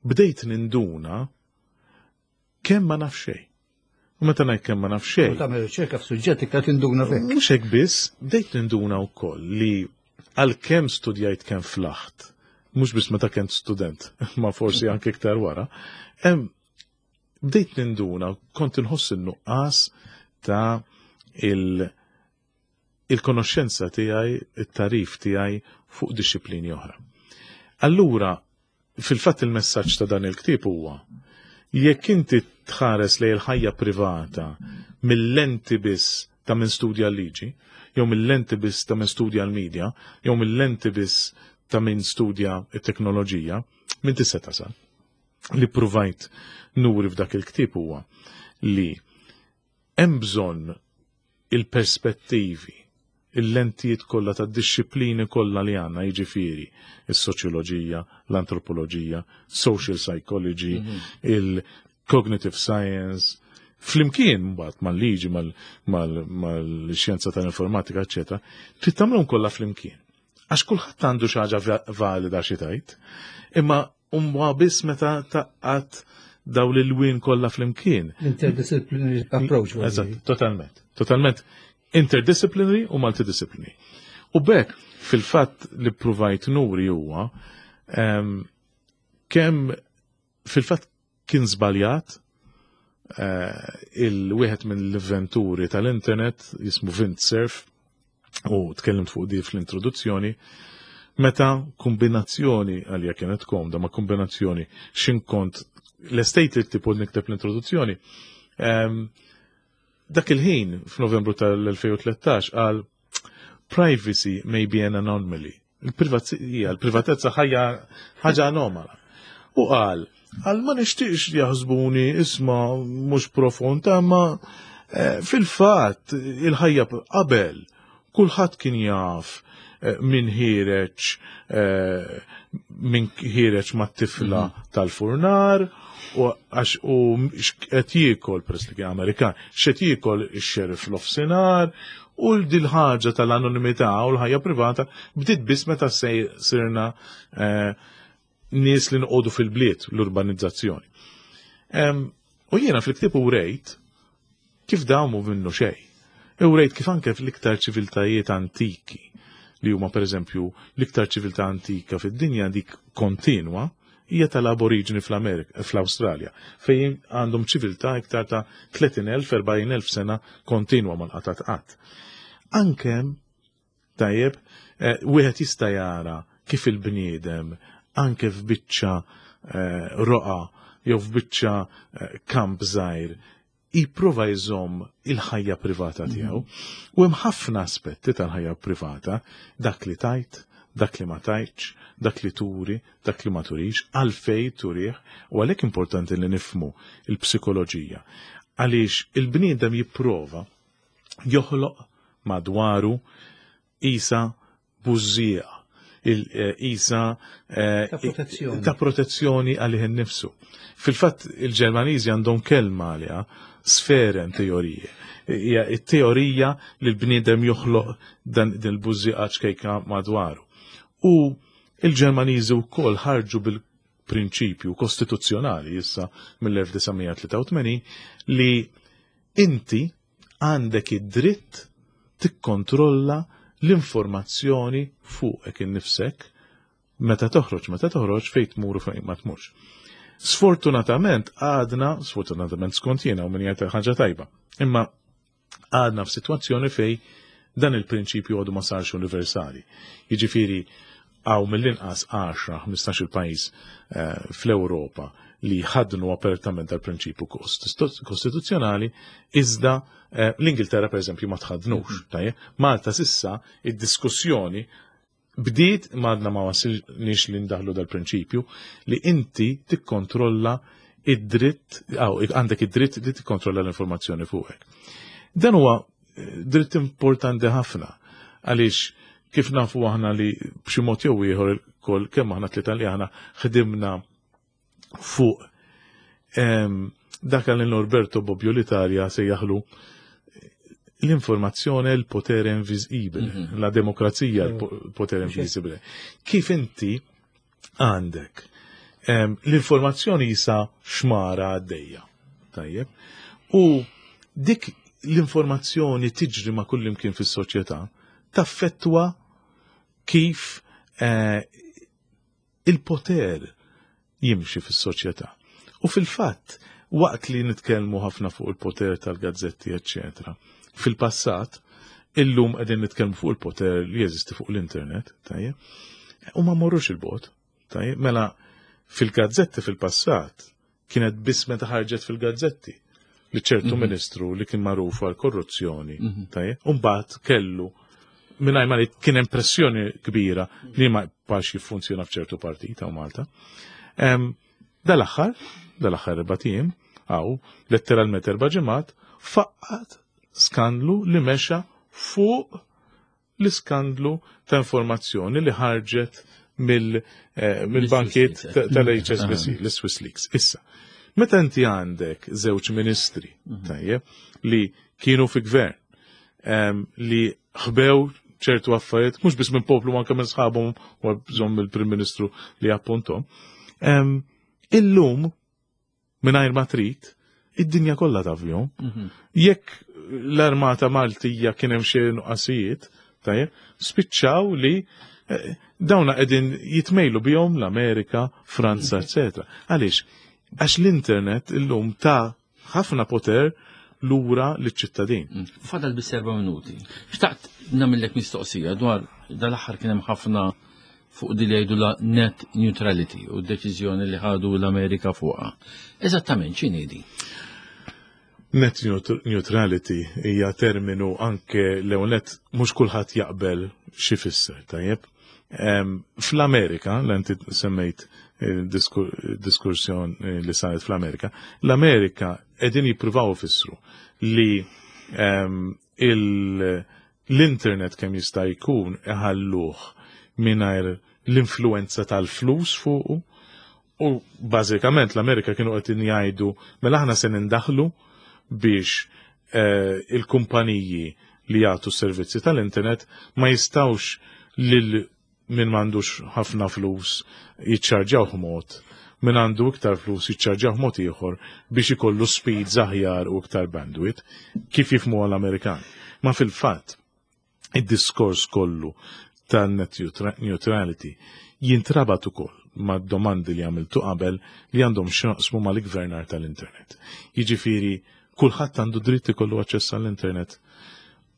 bdejt ninduna. kemm ma naf xejn. U meta ngħid kemm ma naf xejn.
U tagħmel riċerka f'suġġett iktar tinduna fih.
Mhux hekk biss, bdejt ninduna wkoll li għalkemm studjajt kemm flaħt, mhux biss meta kent student, ma forsi anke iktar wara, bdejt ninduna kont inħoss in-nuqqas ta' il- il-konoxxenza tiegħi, it-tarif tiegħi fuq dixxiplini oħra. Allura, fil-fatt il-messaġġ ta' dan il-ktieb huwa jekk inti tħares lejn il-ħajja privata mill-lenti biss ta' min studja l-liġi, jew mill-lenti biss ta' min studja l-medja, jew mill-lenti biss ta' min studja t-teknoloġija, min tista' tasal. Li ppruvajt nuri f'dak il-ktieb huwa li Hemm bżonn il-perspettivi, il-lentijiet kollha tad-dixxiplini kollha li għandna, jiġifieri is-soċjoloġija, l-antropoloġija, social psychology, mhm. il-cognitive science, flimkien mbagħad mal-liġi, mal-xjenza tal-informatika, eċetera, trid tagħmluhom kollha flimkien. Għax kulħadd għandu xi ħaġa valida xi tgħid, imma huwa biss meta taqqat daw l-lwien kollha flimkien.
Interdisciplinary approach.
Eżatt, totalment. Totalment interdisciplinary u multidisciplinary. U bekk fil-fatt li provajt nuri huwa ehm, kemm fil-fatt kien żbaljat eh, il-wieħed mill-inventuri tal-internet jismu Vint Cerf u tkellimt fuq di fl-introduzzjoni, meta kombinazzjoni għalija kienet komda ma kombinazzjoni xinkont l-estate li tipo nikteb l-introduzzjoni ehm, dak il-ħin f'Novembru tal-2013 għal privacy may be an anomaly. Il-privatezza il-privatezza ħajja ħaġa anomala. U qal, għal ma nixtieqx jaħsbuni isma mhux profond, ma eh, fil-fatt il-ħajja qabel kulħadd kien jaf eh, min ħireġ eh, min ħireġ mat-tifla mhm. tal-furnar u għax u qed jiekol peress li kien Amerikan, x'qed jiekol ix-xerif l-ofsinhar u dil-ħaġa tal-anonimità u l-ħajja privata bdiet biss meta sirna eh, nies li nqogħdu fil-bliet l-urbanizzazzjoni. U jiena fil-ktieb u rejt kif dawn mhu minnu xejn. U rejt kif anke fl-iktar ċiviltajiet antiki li huma pereżempju l-iktar ċiviltà antika fid-dinja dik kontinwa hija tal-aboriġini fl-Amerika, fl-Awstralja, fejn għandhom ċiviltà iktar ta' 30,000, 40,000 sena kontinwa ma nqatat qatt. Anke tajjeb, eh, wieħed jista' jara kif il-bniedem anke f'biċċa eh, roqa jew f'biċċa eh, kamp żgħir jipprova jżomm il-ħajja privata mhm. tiegħu. U hemm ħafna aspetti tal-ħajja privata, dak li tajt, dak li ma tajtx, dak li turi, dak li ma turix, għalfej turih, u għalhekk importanti li nifmu il-psikoloġija. Għaliex il-bniedem jipprova joħloq madwaru isa bużżieqa, il-isa eh,
ta' protezzjoni,
ta' protezzjoni għalih innifsu. Fil-fatt il-Ġermaniżi għandhom kelma għaliha, sferen teorije. Hija t-teorija li l-bniedem joħloq dan il-bużżieqa ċkejka madwaru. U il-Ġermaniżi wkoll ħarġu bil-prinċipju kostituzzjonali issa mill-1983 li inti għandek id-dritt tikkontrolla l-informazzjoni fuqek innifsek meta toħroġ, meta toħroġ fejn tmur u fejn ma tmurx. Sfortunatament għadna, sfortunatament skont jiena u min jgħid ħaġa tajba, imma għadna f'sitwazzjoni fej dan il-prinċipju għadu ma sarx universali. Jiġifieri hawn mill-inqas 10-15 il-pajjiż eh, fl-Ewropa li ħadnu apertament tal-prinċipju kostituzzjonali, iżda eh, l-Ingilterra per eżempju ma tħadnux. Mhm. Tajjeb? Malta sissa id-diskussjoni bdiet madna ma wasilniex li ndaħlu dal-prinċipju li inti tikkontrolla id-dritt, għandek id-dritt li tikkontrolla l-informazzjoni fuqek. Dan huwa eh, dritt importanti ħafna għaliex kif nafu aħna li b'xi mod jew ieħor kol kemm aħna tlieta li aħna ħdimna fuq ehm, dak li Norberto Bobbio l-Italja sejjaħlu l-informazzjoni il potere invisibile, mhm. la demokrazija il mhm. potere invisibile. Kif inti għandek ehm, l-informazzjoni jisa xmara għaddejja. tajjeb, u dik l-informazzjoni tiġri ma' kullimkien fis-soċjetà taffettwa kif il-poter jimxi fis-soċjetà. U fil-fatt, waqt li nitkellmu ħafna fuq il-poter tal-gazzetti, eccetera, fil-passat, illum qegħdin nitkellmu fuq il-poter li jeżisti fuq l-internet, tajjeb, u ma morrux il-bot, tajjeb, mela fil-gazzetti fil-passat kienet biss meta ħarġet fil-gazzetti li ċertu ministru li kien magħruf għal korruzzjoni, tajjeb, u mbagħad kellu mingħajr ma li kien hemm pressjoni kbira li ma jibqax jiffunzjona f'ċertu partit hawn Malta. Dal-aħħar 4 ijiem, għaw, letteralment 4 ġimgħat, faqqat skandlu li mexa fuq l-iskandlu ta' informazzjoni li ħarġet mill-bankiet tal-HSBC, l-Swiss Leaks. Issa, meta inti għandek żewġ ministri, tajjeb, li kienu fi gvern, li ħbew ċertu affarijiet, mhux biss minn poplu anke minn sħabhom u bżonn mill-Prim Ministru li appuntom. Illum, mingħajr ma trid, id-dinja kollha taf bihom. Jekk l-armata Maltija kien hemm xi nuqqasijiet, tajjeb, spiċċaw li dawna qegħdin jitmejlu bihom l-Amerika, Franza, eccetera. Għaliex? Għax l-internet illum ta' ħafna poter lura liċ-ċittadin.
Fadal biss 4 minuti. Xtaqt nagħmellek mistoqsija dwar dal-aħħar kien hemm ħafna fuq di li jgħidu la net neutrality u d-deċiżjoni li ħadu l-Amerika fuqha. Eżattament x'inhi di?
Net neutrality hija terminu anke l-ewwel net mhux kulħadd jaqbel xi fisser, tajjeb. Fl-Amerika, l inti semmejt diskursjon li saret fl-Amerika, l-Amerika qegħdin jippruvaw ifissru li l-internet kemm jista' jkun iħalluh mingħajr l-influenza tal-flus fuqu, u bażikament l-Amerika kienu qed jgħidu mela aħna se nindaħlu biex il-kumpaniji li jagħtu s-servizzi tal-internet ma jistgħux lil min m'għandux ħafna flus jiċċarġjaw mod, min għandu iktar flus jiċċarġjaw mod ieħor biex ikollu speeds aħjar u iktar bandwidth, kif jifhmu l-Amerikan. Ma fil-fatt, id-diskors kollu ta' net neutrality jintrabat ukoll ma' domandi li għamiltu qabel li għandhom x'jaqsmu mal-gvernar tal-internet. Jiġifieri, kulħadd għandu dritt ikollu aċċess għall-internet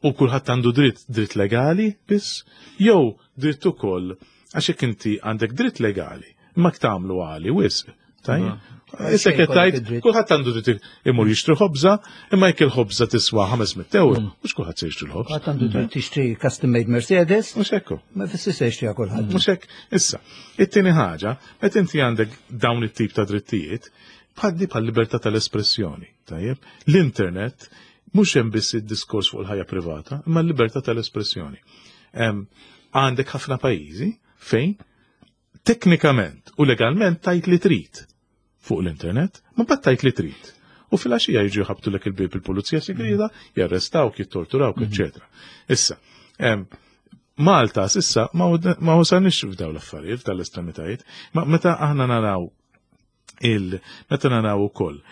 u kulħadd għandu dritt legali biss, jew dritt ukoll għax jekk inti għandek dritt legali, imma tagħmlu għali wisq, tajjeb? Issa
Xejn
qed
kollok
tgħid,
id-dritt.
kulħadd għandu dritt imur jixtri ħobża, imma jekk il-ħobża tiswa 500 euro, mhux kulħadd se jixtri l-ħobż.
Kulħadd għandu dritt tixtri custom made Mercedes.
Mhux hekk.
Ma jfissirx se jixtriha kulħadd.
Mhux hekk. Issa, it-tieni ħaġa, meta inti għandek dawn it-tip ta' drittijiet, bħaddi bħal libertà tal-espressjoni, tajjeb? L-internet mhux hemm biss id-diskors fuq il-ħajja privata, imma l-libertà tal-espressjoni. Għandek ħafna pajjiżi fejn teknikament u legalment tajt li trid fuq l-internet, ma mbagħad tajt li trid. U fil-għaxija jiġu jħabtulek il-bieb il-pulizija segreta, jarrestawk, jittorturawk, eccetera. Issa, Malta s'issa ma wasalniex f'dawn l-affarijiet, f'dawn l-estremitajiet, ma meta aħna naraw il, meta naraw ukoll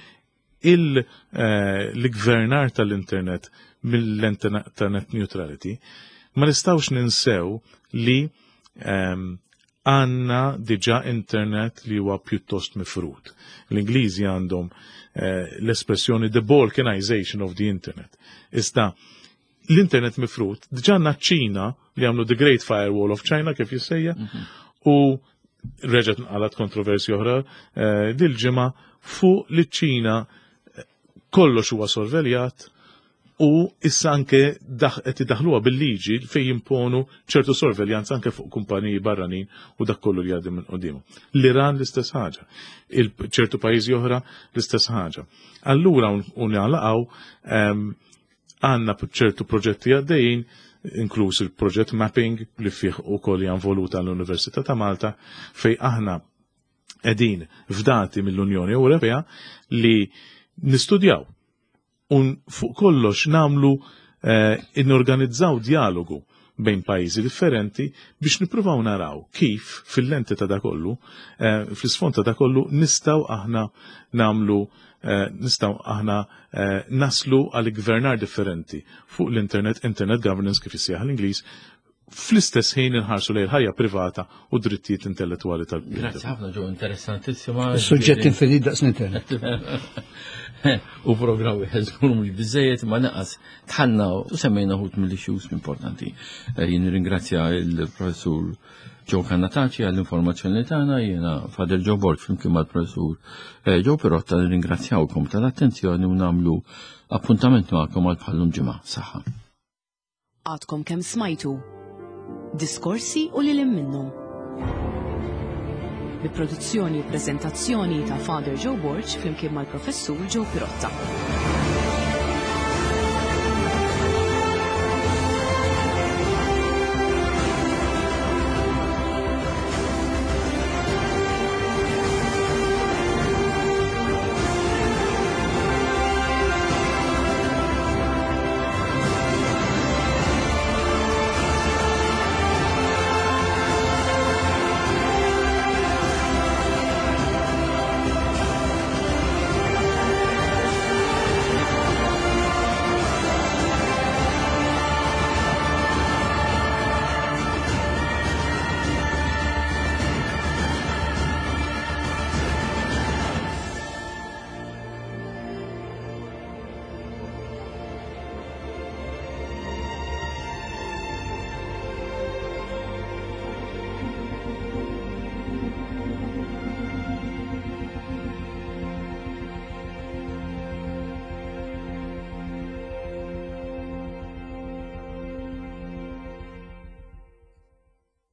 l-gvernar tal-internet mill-internet neutrality, ma nistawx ninsew li għanna diġa internet li huwa pjuttost mifrut. L-Ingliżi għandhom l-espressjoni the balkanization of the internet. Iżda l-internet mifrut, diġa għandna ċ-Ċina li għamlu the Great Firewall of China kif jissejja, u reġgħet nqalat kontroversja oħra dil-ġimgħa fuq li ċ-Ċina kollox huwa sorveljat u issa anke qed idaħluha bil-liġi fejn jimponu ċertu sorveljanza anke fuq kumpaniji barranin u dak kollu li għaddi minn qudiem. L-Iran l-istess ħaġa, ċertu pajjiżi oħra l-istess ħaġa. Allura u nagħlaqgħu għandna ċertu proġetti għaddejjin, inkluż il-proġett mapping li fih ukoll hija involuta l-Università ta' Malta, fej aħna qegħdin fdati mill-Unjoni Ewropea li nistudjaw un fuq kollox namlu inorganizzaw dialogu bejn pajjiżi differenti biex nippruvaw naraw kif fil-lenti ta' dakollu, fl-isfond ta' dakollu nistgħu aħna namlu eh, nistgħu aħna eh, naslu għal gvernar differenti fuq l-internet, internet governance kif issejjaħ l-Ingliż, fl-istess ħin inħarsu lejn ħajja privata u drittijiet intellettwali tal-bniedem.
Grazzi ħafna ġew interessantissima.
Suġġett infinit daqs l-internet.
U programm wieħed żgur mhux biżejjed ma naqas tħanna u semmejna ħut mill-issues importanti. Eh, jien ringrazzja il-professur Joe Cannataci għall-informazzjoni li tagħna, jiena Father Joe Borg flimkien mal-professur eh, Joe Pirotta nirringrazzjawkom tal-attenzjoni u nagħmlu appuntament magħkom għal bħallum ġimgħa. Saħħa.
Għadkom kemm smajtu diskorsi u lil minnhom. Bi produzzjoni u preżentazzjoni ta' Father Joe Borg flimkien mal-professur Joe Pirotta.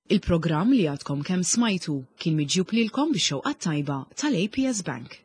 Il-programm li għadkom kemm smajtu kien miġjub lilkom bix-xewqa tajba tal-APS Bank.